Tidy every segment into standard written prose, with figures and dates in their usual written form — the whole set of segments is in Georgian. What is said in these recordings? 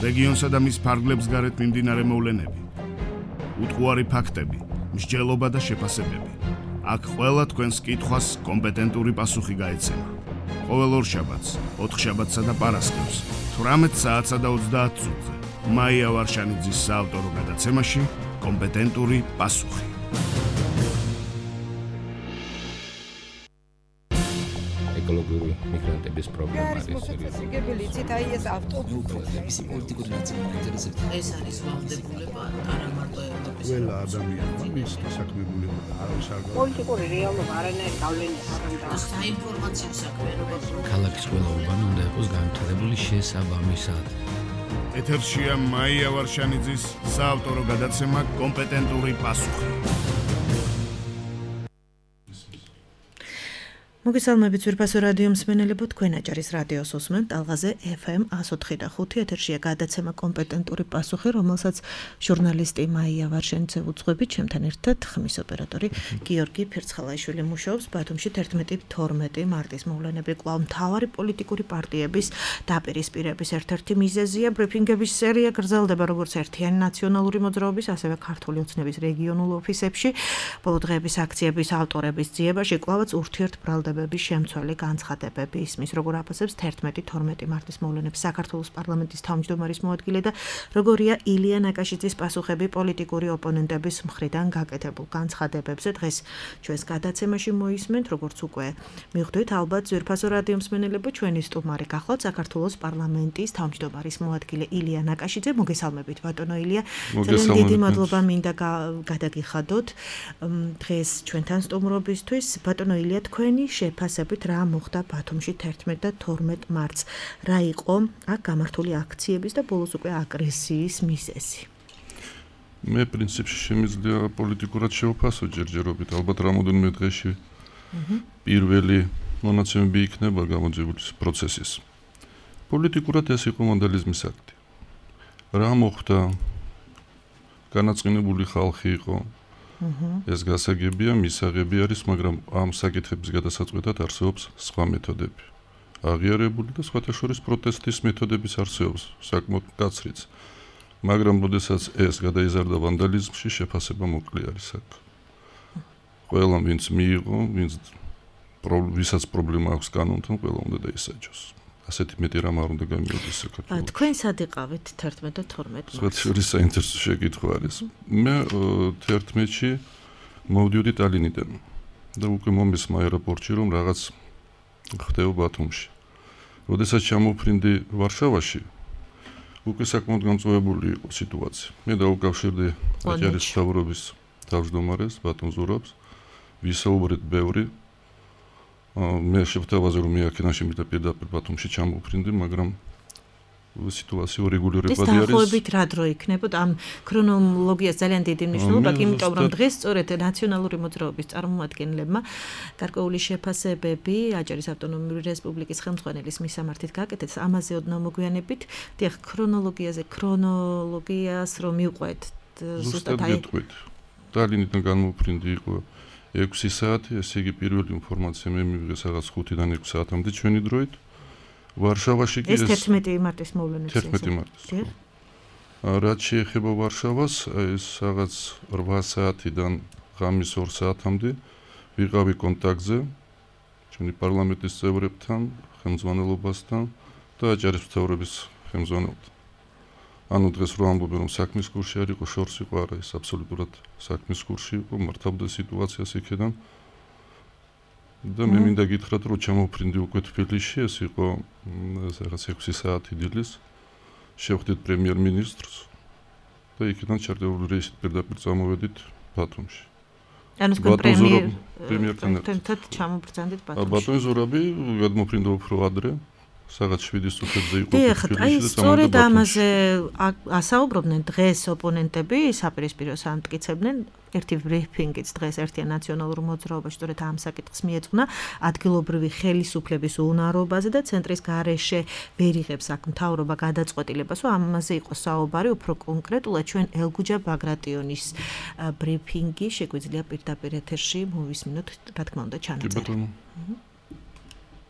რეგიონსა და მის ფარგლებს გარეთ მიმდინარე მოვლენები, უტყუარი ფაქტები, მსჯელობა და შეფასებები. აქ ყველა თქვენს კითხვას კომპეტენტური პასუხი გაეცემა. ყოველ ორშაბათს, ოთხშაბათსა და პარასკევს, 18 საათსა და 30 წუთზე. მაია ვარშანიძის საავტორო გადაცემაში კომპეტენტური პასუხი. ეკოლოგიური მიგრანტების პრობლემა არის. ეს ავტობუსების პოლიტიკური ნაციონალიზაცია. ეს არის ვალდებულება არა მარტო ევროპის. ყველა ადამიანმა მის დასაქმებულება და არავის არ პოლიტიკური რეალობა არანაირ გავლენას არ აქვს. საინფორმაციო საქმიანობა. ქალაქის ყველა უბანი უნდა იყოს განვითარებული შესაბამისად. ეთერშია მაია ვარშანიძის საავტორო გადაცემა კომპეტენტური პასუხი. მოგესალმებით ძვირფასო რადიო მსმენელებო, თქვენ აჭარის რადიოს უსმენთ ტალღაზე FM 104.5 ეთერშია გადაცემა კომპეტენტური პასუხი, რომელსაც ჟურნალისტი მაია ვარშანიძე უძღვებით, ჩემთან ერთად ხმის ოპერატორი გიორგი ფერცხალაიშვილი მუშაობს. ბათუმში 11-12 მარტის მოვლენები კვლავ მთავარი პოლიტიკური პარტიების დაპირისპირების ერთ-ერთი მიზეზია. ბრიფინგების სერია გრძელდება როგორც ერთიანი ნაციონალური მოძრაობის, ასევე ქართული ოცნების რეგიონულ ოფისებში. ბოლო დღეების აქციების ავტორების ძიებაში კვლავაც ურთიერთბრალდება შემცველი განცხადებები ისმის, როგორ აფასებს 11-12 მარტის მოვლენებს საქართველოს პარლამენტის თავმჯდომარის მოადგილე და როგორია ილია ნაკაშიძის პასუხები პოლიტიკური ოპონენტების მხრიდან გაკეთებულ განცხადებებზე. დღეს ჩვენს გადაცემაში მოისმენთ, როგორც უკვე მივხვდით, ალბათ ძვირფასო რადიო მსმენელებო, ჩვენი სტუმარი გახლავთ საქართველოს პარლამენტის თავმჯდომარის მოადგილე ილია ნაკაშიძე. მოგესალმებით, ბატონო ილია. ძალიან დიდი მადლობა მინდა გადაგიხადოთ დღეს ჩვენთან სტუმრობისთვის. ბატონო ილია, თქვენი შეფასებით რა მოხდა ბათუმში 11 და 12 მარტს? რა იყო აქ გამართული აქციების და ბოლოს უკვე აგრესიის მიზეზი? მე პრინციპში შემიძლია პოლიტიკურად შევფასო ჯერჯერობით. ალბათ რამოდენიმე დღეში პირველი მონაცემები იქნება გამოძიების პროცესის. პოლიტიკურად ეს იყო ვანდალიზმის აქტი. რა მოხდა? განაწყენებული ხალხი იყო. ეს გასაგებია, მისაღები არის, მაგრამ ამ საკითხების გადასაწყვეტად არსებობს სხვა მეთოდები. აღიარებული და სხვათა შორის პროტესტის მეთოდებიც არსებობს, საკმაოდ მკაცრიც. მაგრამ როდესაც ეს გადაიზარდა ვანდალიზმში, შეფასება მოკლე არის აქ. ყველა ვინც მიიღო, ვისაც პრობლემა აქვს კანონთან, ყველა უნდა დაისაჯოს. ასეთი მეტი რამ არ უნდა გამიოდეს საქართველოს. თქვენ სად იყავით 11 და 12 მარტს? სხვათა შორის საინტერესო შეკითხვა არის. მე 11-ში მოვდიოდი ტალინიდან და უკვე მომესმა აეროპორტში, რომ რაღაც ხდება ბათუმში. როდესაც ჩამოვფრინდი ვარშავაში, უკვე საკმაოდ გამწვავებული იყო სიტუაცია. მე დაუკავშირდი აჭარის მთავრობის თავმჯდომარეს ბატონ ზურაბს, ვისაუბრეთ ბევრი. მე შევთავაზე რომ მეაქენაში მითხრა პირდაპირ ბათუმში ჩამოვფრინდი, მაგრამ სიტუაცია რეგულირებადი არის. ეს დაახლოებით რა დრო იქნებოდა? ამ ქრონოლოგიას ძალიან დიდი მნიშვნელობა აქვს, იმიტომ რომ დღეს სწორედ ნაციონალური მოძრაობის წარმომადგენლებმა გარკვეული შეფასებები აჭარის ავტონომიური რესპუბლიკის ხელმძღვანელის მისამართით გაკეთეს. ამაზე ოდნავ მოგვიანებით, დიახ, ქრონოლოგიას რომ მივყვეთ ზუსტად გეტყვით. ტალინიდან გამოვფრინდი იყო 6 საათი, ესე იგი პირველი ინფორმაცია მე მივიღე რაღაც 5-დან 6 საათამდე ჩვენი დროით. ვარშავაში კი ეს 11 მარტის მოვლენებს 11 მარტის. რაც შეეხება ვარშავას, ეს რაღაც 8 საათიდან ღამის 2 საათამდე ვიყავი კონტაქტზე ჩვენი პარლამენტის წევრებთან, ხელმძღვანელობასთან და აჭარის მთავრობის ხელმძღვანელთან. ანუ დღეს რო ამბობენ რომ საქმის კურსი არ იყო, შორს იყო, არა, ეს აბსოლუტურად საქმის კურსი იყო, მართავდა სიტუაციას იქიდან. და მე მინდა გითხრათ, რომ ჩამოვფრინდი უკვე თბილისში, ეს იყო რაღაც 6 საათი დილის. შევხვდით პრემიერ-მინისტრს და იქიდან ჩარდებული რეისით პირდაპირ წამოვედით ბათუმში. ანუ თქვენ პრემიერთან ჩამობრძანდით ბათუმში. ბატონ ზურაბი გადმოფრინდა უფრო ადრე. სადაც 7 წუთებზე იყო. აი, სწორედ ამაზე ასაუბრობდნენ დღეს ოპონენტები, საპირისპიროს ამტკიცებდნენ. ერთი ბრიფინგიც დღეს ერთიან ნაციონალურ მოძრაობაში სწორედ ამ საკითხს მიეძღვნა, ადგილობრივი ხელისუფლების უნარობაზე და ცენტრის გარეშე ვერ იღებს აქ მთავრობა გადაწყვეტილებას, რომ ამაზე იყო საუბარი, უფრო კონკრეტულად ჩვენ ელგუჯა ბაგრატიონის ბრიფინგი შეგვიძლია პირდაპირ ეთერში მოვისმინოთ, რა თქმა უნდა, ჩანაწერი.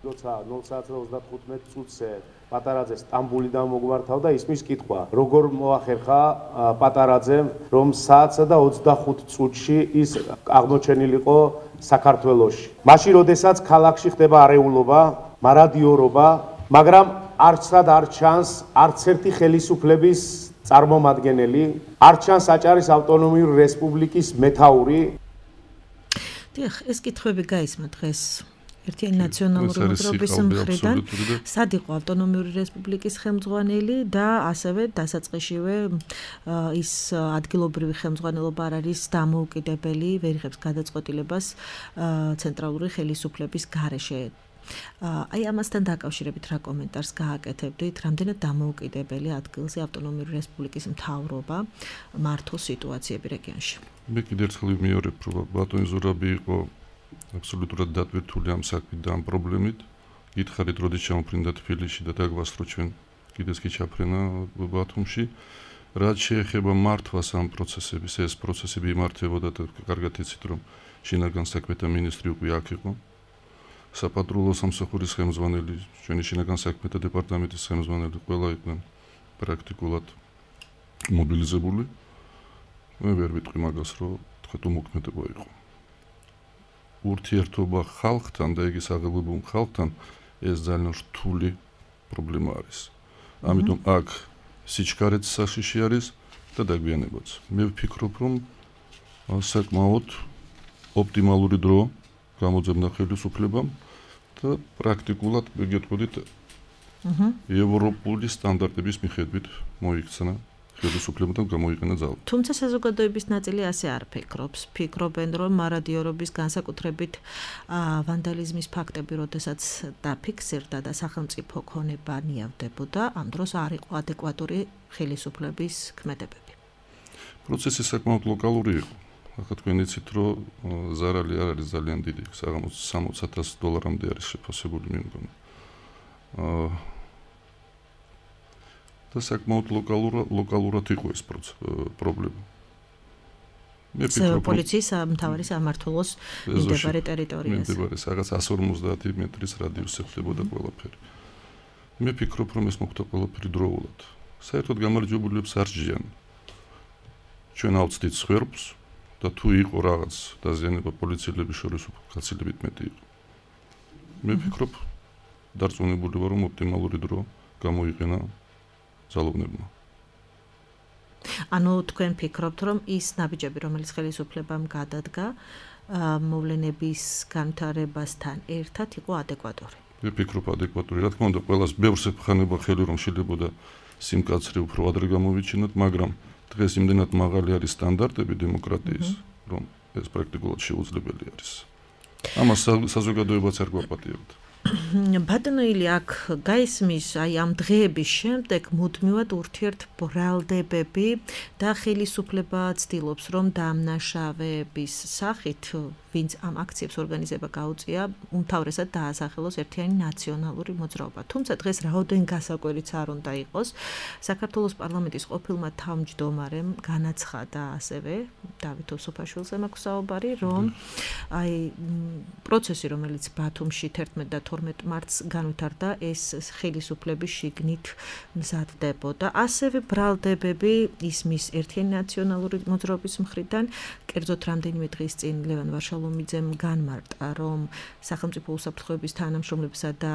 როცა 0:35 წუთზე პატარაძე სტამბოლიდან მოგვართავდა ისმის კითხვა როგორ მოახერხა პატარაძემ რომ 1:25 წუთში ის აღმოჩენილიყო საქართველოში მაშინ როდესაც ქალაქში ხდება არეულობა მარადიორობა მაგრამ არცად არ ჩანს არც ერთი ხელისუფლების წარმომადგენელი არ ჩანს აჭარის ავტონომიური რესპუბლიკის მეთაური დიახ ეს კითხვები გაისმა დღეს ერთიანი ნაციონალური მოძრაობის მხრიდან სად იყო ავტონომიური რესპუბლიკის ხელმძღვანელი და ასევე დასაწყისშივე ის ადგილობრივი ხელმძღვანელობა არ არის დამოუკიდებელი ვერ იღებს გადაწყვეტილებას ცენტრალური ხელისუფლების გარეშე აი ამასთან დაკავშირებით რა კომენტარს გააკეთებდით რამდენად დამოუკიდებელი ადგილზე ავტონომიური რესპუბლიკის მთავრობა მართოს სიტუაციები რეგიონში მე კიდევ ერთხელ ვიმეორებ რომ ბატონი ზურაბი იყო აბსოლუტურად დატვირთული ამ საქმით და ამ პრობლემით. გითხარით, როდის ჩამოფრინდა თბილისში და დაგვასწრო ჩვენ კიდეც კი ჩაფრენა ბათუმში. რაც შეეხება მართვას ამ პროცესების, ეს პროცესები იმართებოდა და კარგად იცით, რომ შინაგან საქმეთა მინისტრი უკვე აქ იყო. საპატრულო სამსახურის ხელმძღვანელი, ჩვენი შინაგან საქმეთა დეპარტამენტის ხელმძღვანელი ყველა იყვნენ პრაქტიკულად მობილიზებული. მე ვერ ვიტყვი მაგას, რომ თქვა თუ მოქმედება იყო. ურთიერთობა ხალხთან და იგი საღებულ ხალხთან ეს ძალიან რთული პრობლემა არის. ამიტომ აქ სიჩქარეც საშიში არის და დაგვიანებაც. მე ვფიქრობ, რომ საკმაოდ ოპტიმალური დრო გამოძებნა ხელისუფლებამ და პრაქტიკულად მეგეთყოდით ევროპული სტანდარტების მიხედვით მოიქცნა ხელისუფლებამ გამოიყენა ძალა. თუმცა საზოგადოების ნაწილი ასე არ ფიქრობს. ფიქრობენ, რომ მარადიორობის განსაკუთრებით ვანდალიზმის ფაქტები, როდესაც დაფიქსირდა და სახელმწიფო ქონება ნიავდებოდა, ამ დროს არ იყო ადეკვატური ხელისუფლების ქმედებები. პროცესი საკმაოდ ლოკალური იყო. ახლა თქვენ იცით, რომ ზარალი არ არის ძალიან დიდი, საღამოს $60,000 არის შეფასებული მე მგონი. და საკმაოდ ლოკალურად იყო ეს პრობლემა. მე ვფიქრობ, პოლიციის მთავარი სამმართველოს მიმდებარე ტერიტორიაზე. მიმდებარე რაღაც 150 მეტრის რადიუსზე ხდებოდა ყველაფერი. მე ვფიქრობ, რომ ეს მოხდა ყველაფერი დროულად. საერთოდ გამარჯვებულებს არ ჯიან. ჩვენ ავწდით სხვერპს და თუ იყო რაღაც დაზიანება პოლიციელების შორის გაცილებით მეტი იყო. მე ვფიქრობ, დარწმუნებული ვარ, რომ ოპტიმალური დრო გამოიყენა ძალოვნებმა. ანუ თქვენ ფიქრობთ, რომ ის ნაბიჯები, რომელიც ხელისუფლებამ გადადგა, მოვლენების განვითარებასთან ერთად იყო ადეკვატური. მე ვფიქრობ, ადეკვატური. რა თქმა უნდა, ყველას ბევრს ეფხანება ხელი, რომ შეიძლება სიმკაცრე უფრო ადრე გამოვიჩინოთ, მაგრამ დღეს იმდენად მაღალი არის სტანდარტები დემოკრატიის, რომ ეს პრაქტიკულად შეუძლებელი არის. ამას საზოგადოებაც არ გვაპატიებდა. ბატონო ილი აქ გაისმის აი ამ დღეების შემდეგ მუდმივად ურთიერთბრალდებები და ხელისუფლება ცდილობს რომ დამნაშავეების სახით ვინც ამ აქციებს ორგანიზება გაუწია უმთავრესად დაასახელოს ერთიანი ნაციონალური მოძრაობა. თუმცა დღეს რაოდენ გასაკვირიც არ უნდა იყოს საქართველოს პარლამენტის ყოფილმა თავმჯდომარემ განაცხადა ასევე დავით ოსოფაშვილზე მაქვს საუბარი რომ აი პროცესი რომელიც ბათუმში 11 და 12 მარტს განვითარდა ეს ხელისუფლების შიგნით მზადდებოდა. ასევე ბრალდებები ისმის ერთიანი ნაციონალური მოძრაობის მხრიდან კერძოდ რამდენიმე დღის წინ ლევან ვარშალომიძემ განმარტა რომ სახელმწიფო უსაფრთხოების თანამშრომლებსა და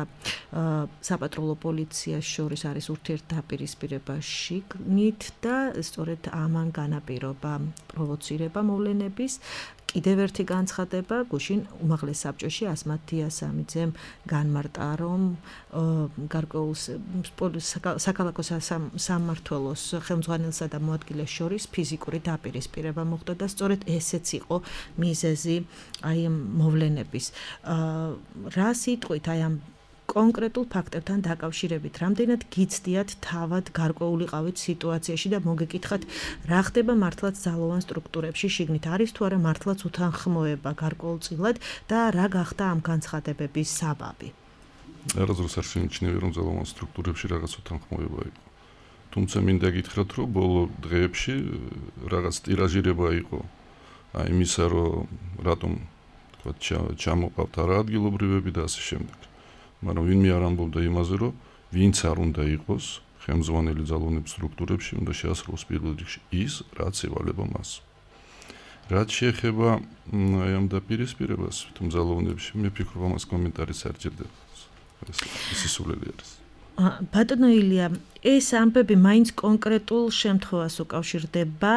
საპატრულო პოლიციას შორის არის ურთიერთდაპირისპირება შიგნით და სწორედ ამან განაპირობა პროვოცირება მოვლენების კიდევ ერთი განცხადება გუშინ უმაღლეს საბჭოში ასმათ დიასამიძემ განმარტა რომ გარკვეულ საქალაქო სამმართველოს ხელმძღვანელსა და მოადგილეს შორის ფიზიკური დაპირისპირება მოხდა და სწორედ ესეც იყო მიზეზი აი მოვლენების რა სიტყვით აი ამ კონკრეტულ ფაქტებთან დაკავშირებით რამდენად გიცდიათ თავად გარკვეულიყავით სიტუაციაში და მოგეკითხათ რა ხდება მართლაც ძალოვან სტრუქტურებში შიგნით არის თუ არა მართლაც უთანხმოება გარკვეულწილად და რა გახდა ამ განცხადებების საბაბი არასდროს არ შეიმჩნევი რომ ძალოვან სტრუქტურებში რაღაც უთანხმოება იყო თუმცა მინდა გითხრათ რომ ბოლო დღეებში რაღაც ტირაჟირება იყო აი იმისა რომ რატომ თქვა ჩამოყავთ არა ადგილობრივები და ასე შემდეგ მაგრამ ვინმე არ ამბობდა იმაზე, რომ ვინც არ უნდა იყოს ხელმძღვანელი ძალოვნების სტრუქტურებში, უნდა შეასრულოს პირველ რიგში ის, რაც ევალება მას. რაც შეეხება აი ამ დაპირისპირებას ძალოვნებში, მე ვფიქრობ, ამას კომენტარის არ ჭირდება. ეს სისულელი არის. ბატონო ილია, ეს ამბები მაინც კონკრეტულ შემთხვევას უკავშირდება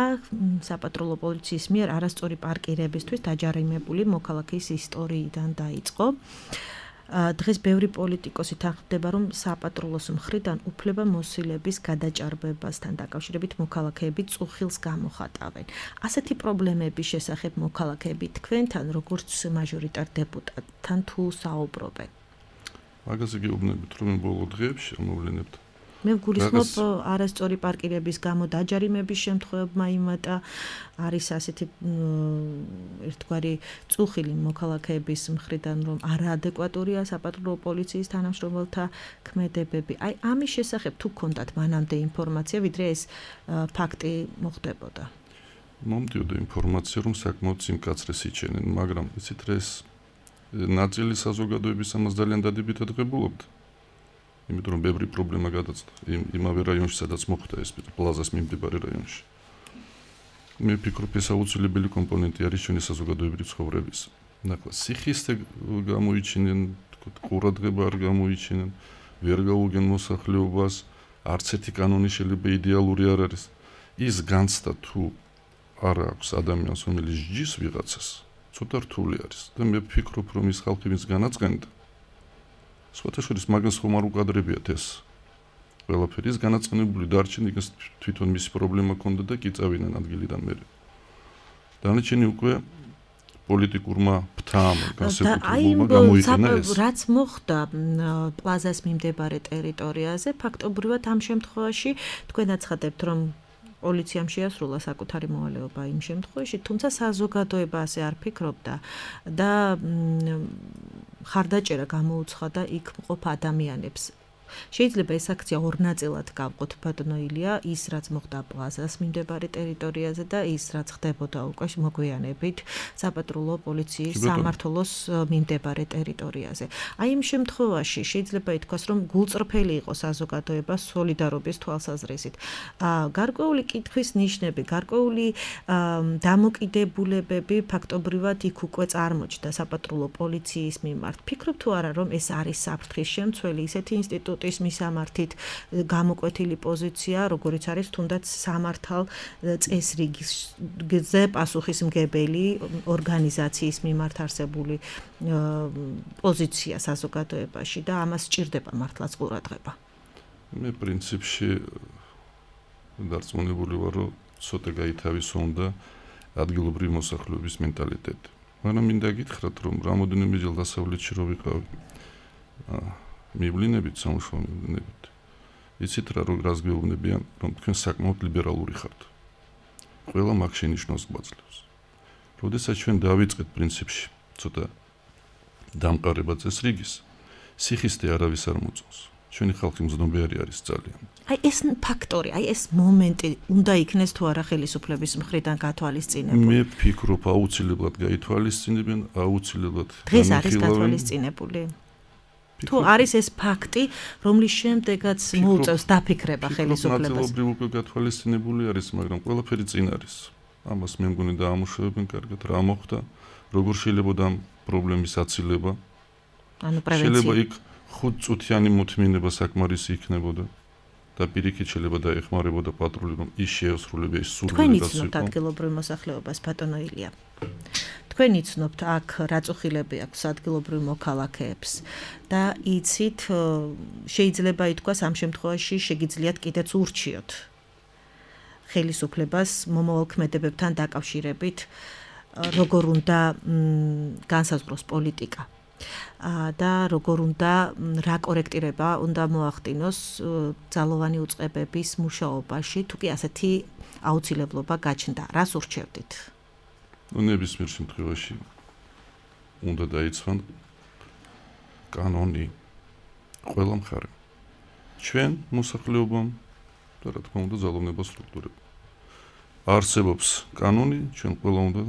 საპატრულო პოლიციის მიერ არასწორი პარკირებისთვის დაჯარიმებული მოქალაქის ისტორიიდან დაიწყო. დღეს ბევრი პოლიტიკოსი თანხმდება, რომ საპატრულოს მხრიდან უფლება მოსილების გადაჭარბებასთან დაკავშირებით მოქალაქეები წუხილს გამოხატავენ. ასეთი პრობლემების შესახებ მოქალაქეები თქვენთან, როგორც მაჟორიტარ დეპუტატთან თუ საუბრობენ? მაგაზე გეუბნებით, რომ ბოლო დღეებში ამოვლენებთ. მე ვგულისხმობ არასწორი პარკირების გამო დაჯარიმების შემთხვევებმა იმატა, არის ასეთი ერთგვარი წუხილი მოქალაქეების მხრიდან, რომ არაადეკვატურია საპატრულო პოლიციის თანამშრომელთა ქმედებები. აი ამის შესახებ თუ გქონდათ მანამდე ინფორმაცია, ვიდრე ეს ფაქტი მოხდებოდა? მომდიოდა ინფორმაცია, რომ საკმაოდ სიმკაცრეს იჩენენ, მაგრამ იცით რა ეს ნაწილი საზოგადოების ამას ძალიან დადებითად ღებულობდა. იმიტომ რომ ბევრი პრობლემა გადაწყდა იმავე რაიონში, სადაც მოხდა ეს პლაზას მიმდებარე რაიონში. მე ვფიქრობ, ეს აუცილებელი კომპონენტი არის ჩვენი საზოგადოებრივი ცხოვრების. ნახლა, სიხისტე გამოიჩინენ, ყურადღება არ გამოიჩინენ, ვერ გაუგენ მოსახლეობას, არც ერთი კანონი შეიძლება იდეალური არ არის. ის განცდა თუ არ აქვს ადამიანს, რომელიც ჯის ვიღაცას, ცოტა რთული არის და მე ვფიქრობ, რომ ის ხალხი ვინც განაწყენდა სხვათაშორის მაგას ხომ არ უკადრებიათ ეს ყველაფერი ის განაწყენებული დარჩენ იქნეს თვითონ მისი პრობლემა ქონდა და კი წავიდნენ ადგილიდან მერე. დანარჩენი უკვე პოლიტიკურმა ფთამ განსაკუთრებულმა გამოიყენა ეს. რაც მოხდა პლაზას მიმდებარე ტერიტორიაზე, ფაქტობრივად ამ შემთხვევაში თქვენ აცხადებთ, რომ პოლიციამ შეასრულა საკუთარი მოვალეობა იმ შემთხვევაში, თუმცა საზოგადოება ასე არ ფიქრობდა და ხარდაჭერა გამოუცხადა იქ მყოფ ადამიანებს. შეიძლება ეს აქცია ორ ნაწილად გავყოთ, ბატონო ილია, ის რაც მოხდა პლაზას მიმდებარე ტერიტორიაზე და ის რაც ხდებოდა უკვე მოგვიანებით საპატრულო პოლიციის სამმართველოს მიმდებარე ტერიტორიაზე. აი იმ შემთხვევაში შეიძლება ითქვას, რომ გულწრფელი იყო საზოგადოება სოლიდარობის თვალსაზრისით. გარკვეული კითხვის ნიშნები, გარკვეული დამოკიდებულებები ფაქტობრივად იქ უკვე წარმოჩნდა საპატრულო პოლიციის მიმართ. ფიქრობ თუ არა, რომ ეს არის საფრთხის შემცველი ისეთი ინსტიტუტი ის მისამართით გამოკვეთილი პოზიცია, როგორიც არის თუნდაც სამართალ წესრიგზე პასუხისმგებელი ორგანიზაციის მიმართ არსებული პოზიცია საზოგადოებაში და ამას სჭირდება მართლაც ყურადღება. მე პრინციპში დარწმუნებული ვარ, რომ ცოტა გაითავისუფლდა ადგილობრივი მოსახლეობის მენტალიტეტი. მაგრამ მინდა გითხრათ, რომ რამოდენიმეჯერ დასავლეთში რო ვიყავი მივლინებით სამუშაო მივლინებით. იცით რა რას გეუბნებიან, რომ თქვენ საკმაოდ ლიბერალური ხართ. ყველა მაგ შენიშნავს გვაძლევს. როდესაც ჩვენ დავიწყეთ პრინციპში ცოტა დამყარება წესრიგის, სიხისტე არავის არ მოწონს. ჩვენი ხალხი მზნობიარი არის ძალიან. აი ეს ფაქტორი, აი ეს მომენტი უნდა იქნეს თუ არა ხელისუფლების მხრიდან გათვალისწინებული. მე ვფიქრობ, აუცილებლად გაითვალისწინებენ, აუცილებლად დღეს არის გათვალისწინებული. თუ არის ეს ფაქტი, რომლის შემდეგაც მოუწევს დაფიქრება ხელისუფლებას. ნაწილობრივ უკვე გათვალისწინებული არის, მაგრამ ყველაფერი წინ არის. ამას მე მგონი დაამუშავებენ კარგად, რა მოხდა, როგორ შეიძლება ამ პრობლემის აცილება. ანუ პრევენცია. შეიძლება იქ 5 წუთიანი მოთმინება საკმარისი იქნებოდა და პირიქით შეიძლება დაეხმარებოდა პატრული, რომ ის შეესრულება ის სურვილი თქვენ იცნობთ ადგილობრივ მოსახლეობას, ბატონო ილია. თქვენ იცნობთ აქ რა წუხილები აქვს ადგილობრივ მოქალაქეებს და იცით შეიძლება ითქვას ამ შემთხვევაში შეგიძლიათ კიდეც ურჩიოთ ხელისუფლებას მომავალ ქმედებებთან დაკავშირებით როგორ უნდა განსაზღვროს პოლიტიკა და როგორ უნდა რა კორექტირება უნდა მოახდინოს ძალოვანი უწყებების მუშაობაში თუ კი ასეთი აუცილებლობა გაჩნდა რას ურჩევდით ნებისმიერ შემთხვევაში უნდა დაიცვან კანონი ყველა მხარემ ჩვენ მოსახლეობამ და რა თქმა უნდა ძალოვნება სტრუქტურებამ არსებობს კანონი ჩვენ ყველა უნდა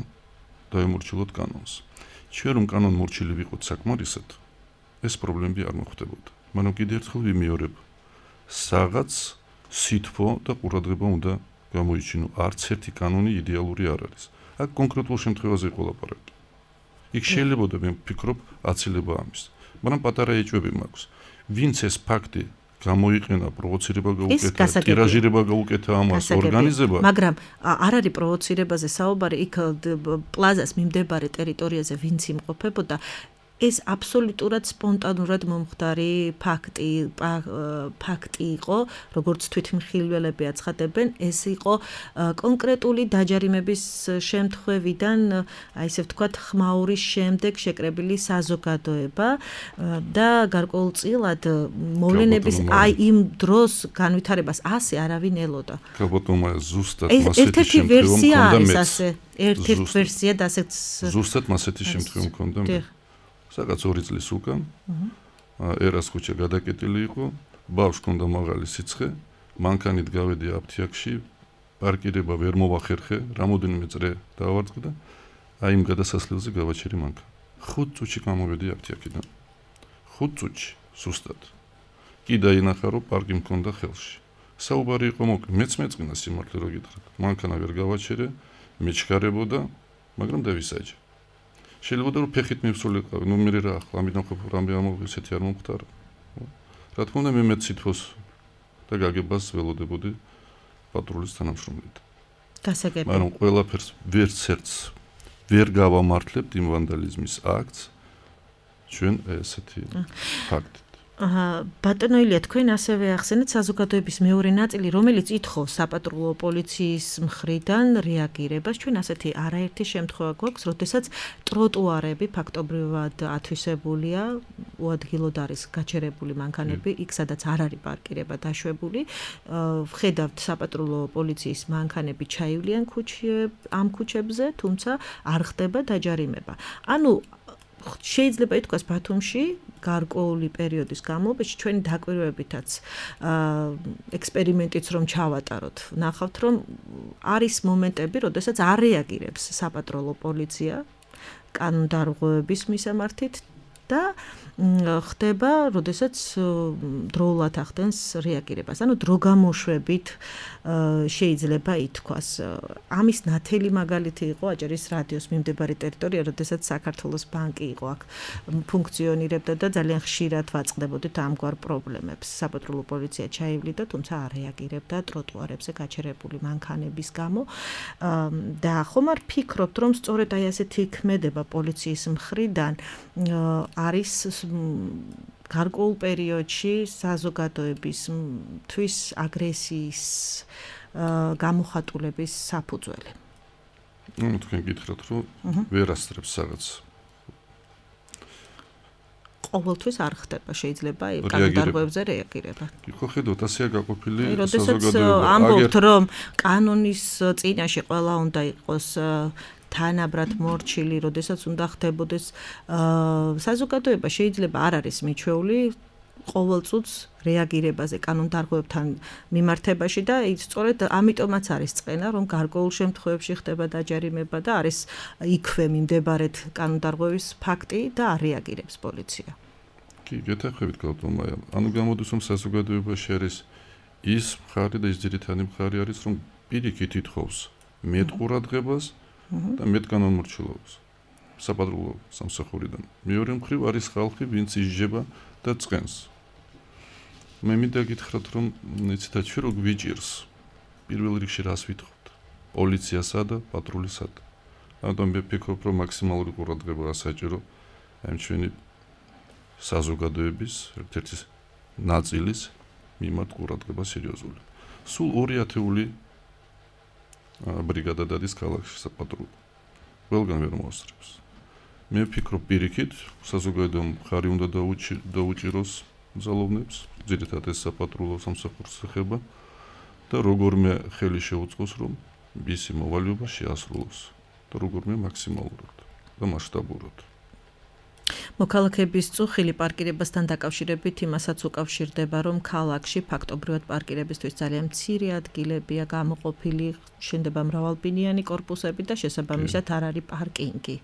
დაემორჩილოთ კანონს ჩვენ რომ კანონმორჩილი ვიყოთ საკმარისად ეს პრობლემები არ მოხდებოდა. მაგრამ კიდევ ერთხელ ვიმეორებ, საღაც სითბო და ყურადღება უნდა გამოიჩინო. არც ერთი კანონი იდეალური არ არის. აქ კონკრეტულ შემთხვევაზე იყო ლაპარაკი. იქ შეიძლება და მე ვფიქრობ, აცილება ამის. მაგრამ პატარა ეჭვები მაქვს. ვინც ეს ფაქტი გამოიყენა, პროვოცირება გაუკეთა, ტირაჟირება გაუკეთა ამას ორგანიზება. მაგრამ არ არის პროვოცირებაზე საუბარი, იქ პლაზას მიმდებარე ტერიტორიაზე ვინც იმყოფებოდა, ეს აბსოლუტურად სპონტანურად მომხდარი ფაქტი იყო, როგორც თვითმხილველები აცხადებენ, ეს იყო კონკრეტული დაჯარიმების შემთხვევიდან, აი ესე ვთქვათ, ხმაურის შემდეგ შეკრებილი საზოგადოება და გარკვეულწილად მოვლენების აი იმ დროს განვითარებას ასე არავინ ელოდა. გაბატონმა ზუსტად მასეთი შემთხვევა მქონდა მე. ერთ-ერთი ვერსია და ასეც ზუსტად მასეთი შემთხვევა მქონდა მე. სადაც 2 წლის უკან ერას ქუჩა გადაკეტილი იყო, ბავშვს ჰქონდა მაღალი სიცხე, მანქანით გავედი აფთიაქში, პარკირება ვერ მოვახერხე, რამოდენიმე წრე დავარწმდა, აი იმ გადასასვლელზე გავაჩერი მანქანა. 5 წუთში გამოვედი აფთიაქიდან. 5 წუთში, ზუსტად. კი დაინახა, რომ პარკი მქონდა ხელში. საუბარი იყო მოკლე, მეც მეწყინა სიმართლე რო გითხრათ. მანქანა ვერ გავაჩერე, მეჩქარებოდა, მაგრამ დავისაჯე. შეიძლება რომ ფეხით მივსულიყავი, ნუ მე რა ახლა ამიდან ხო რამე ამოვიღე ესეთი არ მომხდარა. რა თქმა უნდა მე მეც სითბოს და გაგებას ველოდებოდი პატრულის თანამშრომლით. გასაგები. მაგრამ ყველაფერს ვერცერც ვერ გავამართლებთ იმ ვანდალიზმის აქტს ჩვენ ესეთი ფაქტით. ბატონო ილია, თქვენ ასევე ახსენეთ საზოგადოების მეორე ნაწილი, რომელიც ითხოვს საპატრულო პოლიციის მხრიდან რეაგირებას. ჩვენ ასეთი არაერთი შემთხვევა გვაქვს, როდესაც ტროტუარები ფაქტობრივად ათვისებულია, უადგილოდ არის გაჩერებული მანქანები, იქ სადაც არ არის პარკირება დაშვებული. ვხედავთ საპატრულო პოლიციის მანქანები ჩაივლიან ამ ქუჩებზე, თუმცა არ ხდება დაჯარიმება. ანუ შეიძლება ითქვას ბათუმში გარკვეული პერიოდის განმავლობაში ჩვენი დაკვირვებითაც ექსპერიმენტიც რომ ჩავატაროთ, ნახავთ რომ არის მომენტები, როდესაც არ რეაგირებს საპატრულო პოლიცია კანონდარღვევების მისამართით და ხდება, როდესაც დროულად ახდენს რეაგირებას. ანუ დროგამოშვებით შეიძლება ითქვას. ამის ნათელი მაგალითი იყო აჭარის რადიოს მიმდებარე ტერიტორია, როდესაც საქართველოს ბანკი იყო აქ ფუნქციონირებდა და ძალიან ხშირად ვაწყდებოდით ამგვარ პრობლემებს. საპატრულო პოლიცია ჩაივლიდა, თუმცა არ რეაგირებდა ტროტუარებზე გაჩერებული მანქანების გამო. და ხომ არ ფიქრობთ, რომ სწორედ აი ასეთი ქმედება პოლიციის მხრიდან არის გარკვეულ პერიოდში საზოგადოებისთვის აგრესიის გამოხატულების საფუძველი. ნუ თქვენ გითხრათ, რომ ვერასწრებს რაღაც. ყოველთვის არ ხდება, შეიძლება კანონდარღვევებზე რეაგირება. ხო, ხედავთ, ასეა გაყოფილი საზოგადოება. ამბობთ, რომ კანონის წინაშე ყველა უნდა იყოს თანაბრად მორჩილი, როდესაც უნდა ხდებოდეს საზოგადოება შეიძლება არ არის მიჩვეული ყოველ წუთს რეაგირებაზე კანონდარღვევებთან მიმართებაში და სწორედ ამიტომაც არის წყენა, რომ გარკვეულ შემთხვევებში ხდება დაჯარიმება და არის იქვე მიმდებარედ კანონდარღვევის ფაქტი და არ რეაგირებს პოლიცია. კი, გეთახებით გალტომა. ანუ გამოდის რომ საზოგადოებაში არის ის მხარი და ის ძირითადი მხარი არის, რომ პირიქით ითხოვს მეტ ყურადღებას და მეტ კანონმორჩილობას საპატრულო სამსახურიდან. მეორე მხრივ არის ხალხი, ვინც ისჯება და წყენს. მე მინდა გითხრათ, რომ იცით რო გვიჭირს პირველ რიგში რას ვითხოვთ? პოლიციასა და პატრულისად. ამიტომ მე ვფიქრობ, რომ მაქსიმალური ყურადღება ასაჭირო ამ ჩვენი საზოგადოების ერთ-ერთი ნაწილის მიმართ ყურადღება სერიოზული. სულ 2 ათეული ბრიგადა დადის ქალაქში საპატრულო. ყველგან ვერ მოასწრებს. მე ვფიქრობ პირიქით, საზოგადოებამ ხარი უნდა დაუჭიროს ძალოვნებს, ძირითადად ეს საპატრულო სამსახურს ეხება და როგორმე ხელი შეუწყოს, რომ მისი მოვალეობა შეასრულოს და როგორმე მაქსიმალურად და მასშტაბურად. მოქალაქეების წუხილი პარკირებასთან დაკავშირებით იმასაც უკავშირდება, რომ ქალაქში ფაქტობრივად პარკირებისთვის ძალიან მცირე ადგილებია გამოყოფილი, შენდება მრავალბინიანი კორპუსები და შესაბამისად არ არის პარკინგი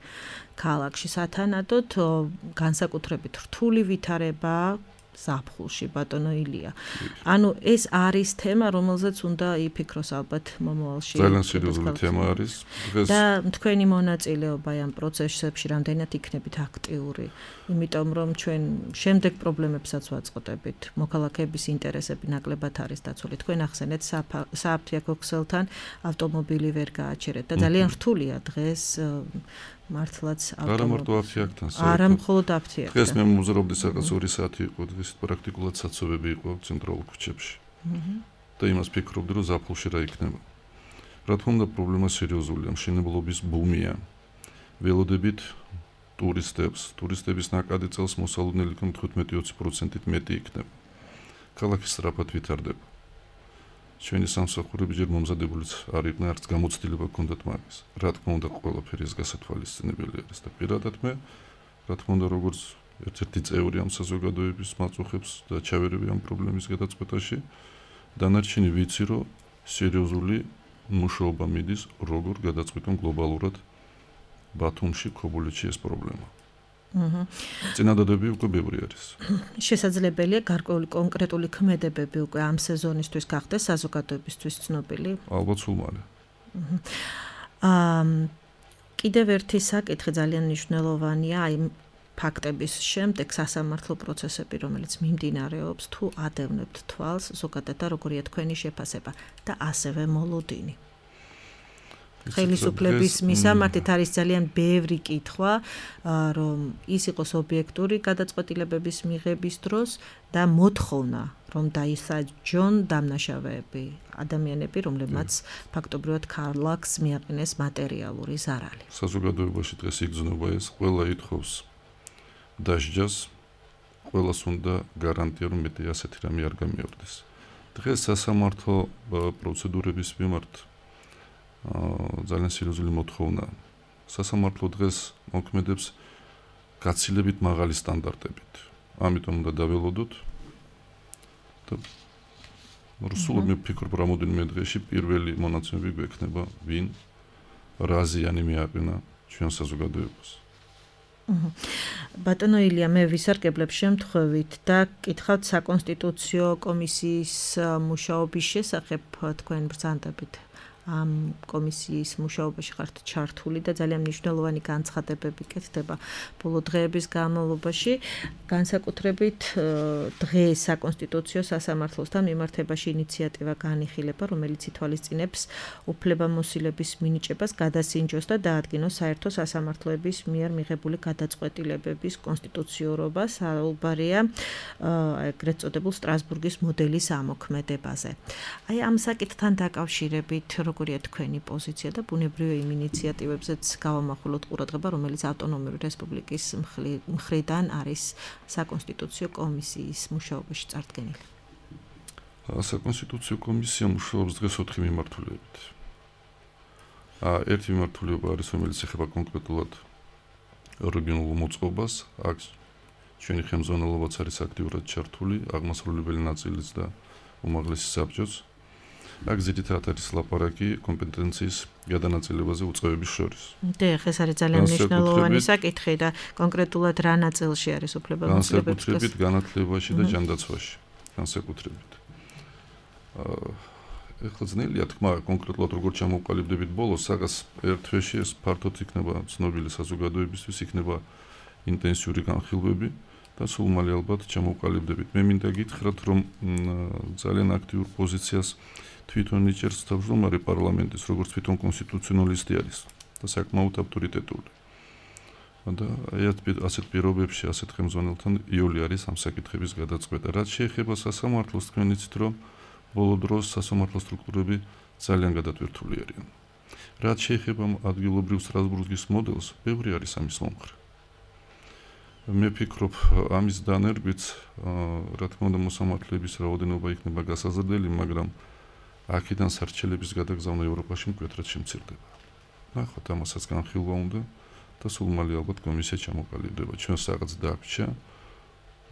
ქალაქში. სათანადოდ განსაკუთრებით რთული ვითარება ზაფხულში ბატონო ილია. ანუ ეს არის თემა, რომელზეც უნდა იფიქროს ალბათ მომავალში. ძალიან სერიოზული თემა არის. და თქვენი მონაწილეობა ამ პროცესებში რამდენად იქნებით აქტიური, იმიტომ რომ ჩვენ შემდეგ პრობლემებსაც ვაწყდებით. მოქალაქეების ინტერესები ნაკლებად არის დაცული. თქვენ ახსენეთ სააფთიაქო ქსელთან ავტომობილი ვერ გააჩერეთ და ძალიან რთულია დღეს მართლაც არა მარტო აფთიაქთან, არა მხოლოდ აფთიაქთან. დღეს მე მომზრობდი სადღაც 2 საათი იყო, დღეს პრაქტიკულად საცობები იყო ცენტრალურ ქუჩებში. და იმას ფიქრობდი, რომ ზაფხულში რა იქნება. რა თქმა უნდა, პრობლემა სერიოზულია, მშენებლობის ბუმია. ველოდებით ტურისტების ნაკადი წელს მოსალოდნელი 15-20%-ით მეტი იქნება. ქალაქი სწრაფად ვითარდება. ჩვენი სამსახურები ჯერ მომზადებულიც არ იყვნენ, არც გამოცდილება ჰქონდათ მაგის. რა თქმა უნდა, ყველაფერი ეს გასათვალისწინებელი არის და პირადად მე, რა თქმა უნდა, როგორც ერთ-ერთი წევრი ამ საზოგადოების მაწუხებს და ჩავერები ამ პრობლემის გადაწყვეტაში, დანარჩენი ვიცი, რომ სერიოზული მუშაობა მიდის, როგორ გადაწყვეტონ გლობალურად ბათუმში, ქობულეთში ეს პრობლემა. წინადადები უკვე ბევრი არის. შესაძლებელია გარკვეული კონკრეტული ქმედებები უკვე ამ სეზონისთვის გახდეს საზოგადოებისთვის ცნობილი? ალბათ სულ მალე. კიდევ ერთი საკითხი ძალიან მნიშვნელოვანია, აი ფაქტების შემდეგ სასამართლო პროცესები, რომელიც მიმდინარეობს, თუ ადევნებთ თვალს ზოგადად და როგორია თქვენი შეფასება და ასევე მოლოდინი. ხელისუფლების მისამართით არის ძალიან ბევრი კითხვა, რომ ის იყოს ობიექტური გადაწყვეტილებების მიღების დროს და მოთხოვნა, რომ დაისაჯონ დამნაშავეები, ადამიანები, რომლებმაც ფაქტობრივად ქალაქს მიაყენეს მატერიალური ზარალი. საზოგადოებაში დღეს იგრძნობა ეს, ყველა ითხოვს დასჯას, ყველას უნდა გარანტია, რომ მეტი ასეთი რამე არ გამეორდეს. დღეს სასამართლო პროცედურების მიმართ ძალიან სერიოზული მოთხოვნა. სასამართლო დღეს მოქმედებს გაცილებით მაღალი სტანდარტებით. ამიტომ უნდა დაველოდოთ და სულ მე ვფიქრობ, რამოდენიმე დღეში პირველი მონაცემები გვექნება, ვინ რა ზიანი მიაყენა ჩვენ საზოგადოებას. ბატონო ილია, მე ვისარგებლებ შემთხვევით და კითხავთ საკონსტიტუციო კომისიის მუშაობის შესახებ, თქვენ ბრძანდებით ამ კომისიის მუშაობაში ხართ ჩართული და ძალიან მნიშვნელოვანი განცხადებები კეთდება ბოლო დღეების განმავლობაში. განსაკუთრებით დღეს საკონსტიტუციო სასამართლოსთან მიმართებაში ინიციატივა განიხილება, რომელიც ითვალისწინებს უფლებამოსილების მინიჭებას გადასინჯოს და დაადგინოს საერთო სასამართლოების მიერ მიღებული გადაწყვეტილებების კონსტიტუციურობას. საუბარია ეგრეთ წოდებულ სტრასბურგის მოდელის ამოქმედებაზე. აი ამ საკითხთან დაკავშირებით როგორია თქვენი პოზიცია და ბუნებრივია იმ ინიციატივებზეც გავამახვილოთ ყურადღება, რომელიც ავტონომიური რესპუბლიკის მხრიდან არის საკონსტიტუციო კომისიის მუშაობაში წარდგენილი. საკონსტიტუციო კომისია მუშაობს დღეს 4 მიმართულებით. ერთი მიმართულება არის, რომელიც ეხება კონკრეტულად რეგიონულ მოწყობას, აქ ჩვენი ხელმძღვანელობაც არის აქტიურად ჩართული, აღმასრულებელი ნაწილიც და უმაღლესი საბჭოც. აქ ძირითადად არის ლაპარაკი კომპეტენციის გადანაწილებაზე უწყებების შორის. დიახ, ეს არის ძალიან მნიშვნელოვანი საკითხი და კონკრეტულად რა ნაწილში არის უფლებამოსილების განსაკუთრებით განათლებაში და ჯანდაცვაში, განსაკუთრებით. ეხლა ძნელია თქმა, კონკრეტულად როგორ ჩამოვყალიბდებით ბოლოს, საგას ერთ თვეში ეს ფართოდ იქნება ცნობილი საზოგადოებისთვის, იქნება ინტენსიური განხილვები და სულ მალე ალბათ ჩამოვყალიბდებით. მე მინდა გითხრათ, რომ ძალიან აქტიურ პოზიციას თვითონ იჭერს თავმჯდომარე პარლამენტის, როგორც თვითონ კონსტიტუციონალისტი არის და საკმაოდ ავტორიტეტული. და ასეთ პირობებში, ასეთ ხელმძღვანელთან იოლი არის ამ საკითხების გადაწყვეტა. რაც შეეხება სასამართლოს, თქვენ იცით, რომ ბოლო დროს სასამართლო სტრუქტურები ძალიან გადატვირთული არიან. რაც შეეხება ადგილობრივ სტრასბურგის მოდელს, ბევრი არის ამის მომხრე. მე ვფიქრობ, ამის დანერგვიც, რა თქმა უნდა, მოსამართლეების რაოდენობა იქნება გასაზრდელი, მაგრამ აქედან სარჩელების გადაგზავნა ევროპაში მკვეთრად შემცირდება. ნახოთ, ამასაც განხილვა უნდა და სულ მალე ალბათ კომისია ჩამოყალიბდება. ჩვენს რაღაც დაგვრჩა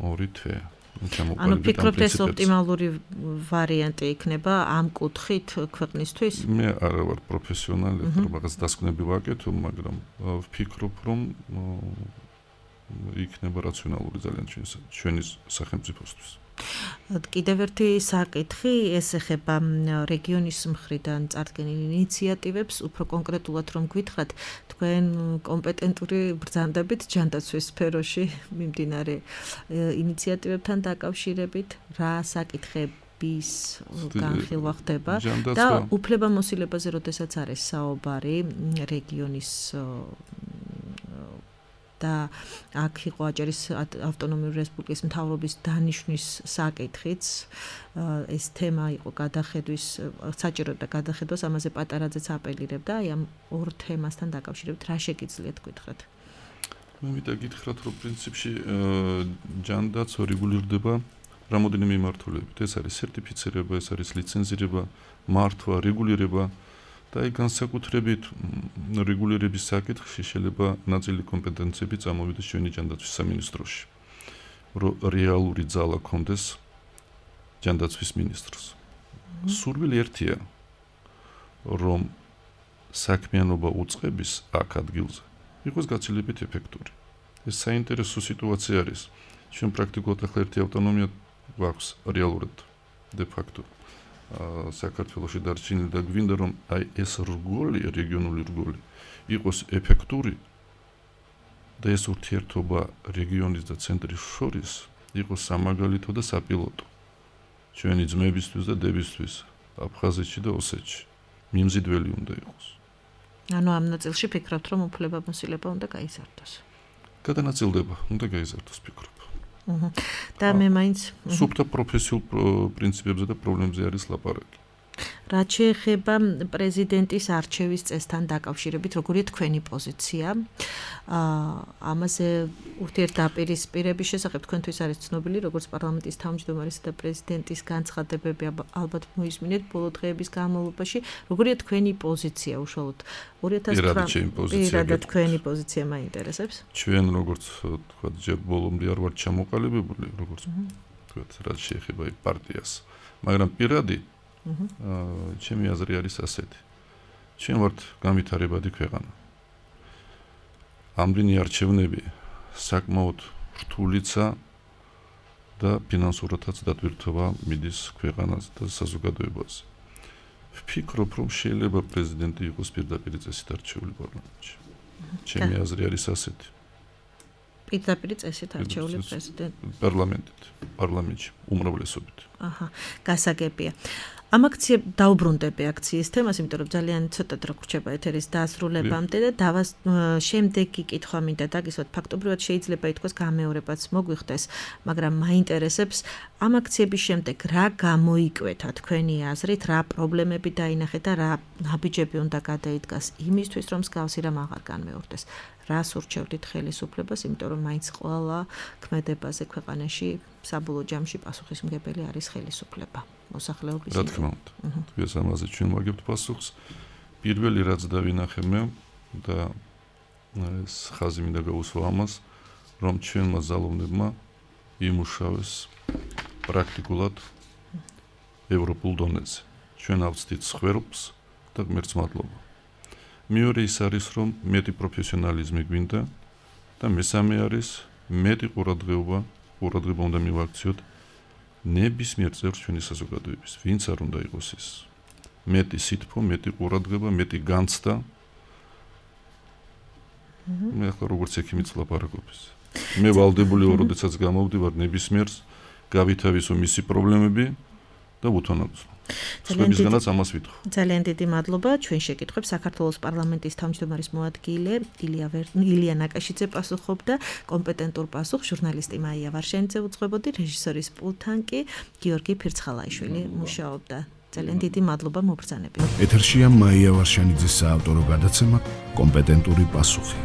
2 თვე. ანუ ფიქრობთ ეს ოპტიმალური ვარიანტი იქნება ამ კუთხით ქვეყნისთვის? მე არა ვარ პროფესიონალი, რაღაც დასკვნები ვაკეთებ, მაგრამ ვფიქრობ, რომ იქნება რაციონალური ძალიან ჩვენი სახელმწიფოსთვის. კიდევ ერთი საკითხი, ეს ეხება რეგიონის მხრიდან წარდგენილ ინიციატივებს, უფრო კონკრეტულად რომ გითხრათ, თქვენ კომპეტენტური ბრძანდებით ჯანდაცვის სფეროში მიმდინარე ინიციატივებთან დაკავშირებით, რა საკითხების განხილვა ხდება და უფლებამოსილებაზე როდესაც არის საუბარი რეგიონის და აქ იყო აჭარის ავტონომიური რესპუბლიკის მთავრობის დანიშვნის საკითხიც ეს თემა იყო გადახედვის საჭირო და გადახედვას ამაზე პატარაძეც აპელირებდა აი ამ ორ თემასთან დაკავშირებით რა შეგიძლიათ გითხრათ? მე მინდა გითხრათ რომ პრინციპში ჯანდაცვა რეგულირდება რამოდენიმე მიმართულებით ეს არის სერტიფიცირება ეს არის ლიცენზირება მართვა რეგულირება და აი განსაკუთრებით რეგულირების საკითხში შეიძლება ნაწილი კომპეტენციები წამოვიდეს ჩვენი ჯანდაცვის სამინისტროში რომ რეალური ძალა კონდეს ჯანდაცვის მინისტრს სურვილი ერთია რომ საქმიანობა უწყების აქ ადგილზე იყოს გაცილებით ეფექტური ეს საინტერესო სიტუაცია არის ჩვენ პრაქტიკულად ახლა ერთი ავტონომია გვაქვს რეალურად de facto საქართველოში დარჩენილი და გვინდა რომ აი ეს რგოლი რეგიონული რგოლი იყოს ეფექტური და ეს ურთიერთობა რეგიონის და ცენტრის შორის იყოს სამაგალითო და საპილოტო ჩვენი ძმებისთვის და დებისთვის აფხაზეთში და ოსეთში მიმზიდველი უნდა იყოს ანუ ამ ნაწილში ფიქრობთ რომ უფლებამოსილება უნდა გაიზარდოს გადანაწილდება უნდა გაიზარდოს ფიქრობ და მე მაინც სუფთა პროფესიულ პრინციპებზე და პრობლემებზე არის ლაპარაკი. რაც შეეხება პრეზიდენტის არჩევის წესთან დაკავშირებით, როგორია თქვენი პოზიცია? ამაზე ურთიერთდაპირისპირების შესახებ თქვენთვის არის ცნობილი, როგორც პარლამენტის თავმჯდომარისა და პრეზიდენტის განცხადებები ალბათ მოისმინეთ ბოლო დღეების განმავლობაში. როგორია თქვენი პოზიცია უშუალოდ 2009 თქვენი პოზიცია მაინტერესებს? ჩვენ როგორც თქვა ჯერ ბოლომდე არ ვარ ჩამოყალიბებული, როგორც თქვა რაც შეეხება პარტიას, მაგრამ პირადი ჩემი აზრი არის ასეთი. ჩვენ ვართ განვითარებადი ქვეყანა. ამდენი არჩევნები საკმაოდ რთულიცა და ფინანსურადაც დატვირთვა მიდის ქვეყანას და საზოგადოებას. ვფიქრობ, რომ შეიძლება პრეზიდენტი იყოს პირდაპირ წესით არჩეული პარლამენტში. ჩემი აზრი არის ასეთი. პირდაპირ წესით არჩეული პრეზიდენტი პარლამენტში უმრავლესობით. აჰა, გასაგებია. ამ დაუბრუნდები აქციის თემას, იმიტომ რომ ძალიან ცოტად რო გრჩება ეთერის დასრულებამდე და შემდეგი კითხვა მინდა დაგისვათ, ფაქტობრივად შეიძლება ითქვას გამეორებაც მოგვიხდეს, მაგრამ მაინტერესებს ამ აქციების შემდეგ რა გამოიკვეთა თქვენი აზრით, რა პრობლემები დაინახეთ და რა ნაბიჯები უნდა გადაიდგას იმისთვის, რომ მსგავსი რამ აღარ განმეორდეს. რას ურჩევდით ხელისუფლებას, იმიტომ რომ მაინც ყველა ქმედებაზე ქვეყანაში საბოლოო ჯამში პასუხისმგებელი არის ხელისუფლება. მოსახლეობის რა თქმა უნდა. ეს ამაზე ჩვენ ვაგებთ პასუხს. პირველი რაც დავინახე მე და ეს ხაზი მინდა გაუსვა ამას, რომ ჩვენმა ძალოვნებმა იმუშავეს პრაქტიკულად ევროპულ დონეზე. ჩვენ ავწდით სხვრობს და ღმერთს მადლობა. მეორე ის არის, რომ მეტი პროფესიონალიზმი გვინდა და მესამე არის მეტი ყურადღება უნდა მივაქციოთ ნებისმიერ წევრს ჩვენი საზოგადოების, ვინც არ უნდა იყოს ის. მეტი სითბო, მეტი ყურადღება, მეტი განცდა. მე ახლა როგორც ექიმიც ლაპარაკობს. მე ვალდებული ვარ, როდესაც გამოვდივარ ნებისმიერს, გავითავისო მისი პრობლემები და უთანადო. სხვებისგანაც ამას ვითხოვ. ძალიან დიდი მადლობა. ჩვენ შეკითხვებს საქართველოს პარლამენტის თავმჯდომარის მოადგილე ილია ნაკაშიძე პასუხობდა, კომპეტენტურ პასუხს ჟურნალისტი მაია ვარშენიძე უძღვებოდი, რეჟისორის პულტთან კი გიორგი ფირცხალაიშვილი მუშაობდა. ძალიან დიდი მადლობა მობრძანებით. ეთერშია მაია ვარშენიძის საავტორო გადაცემა კომპეტენტური პასუხი.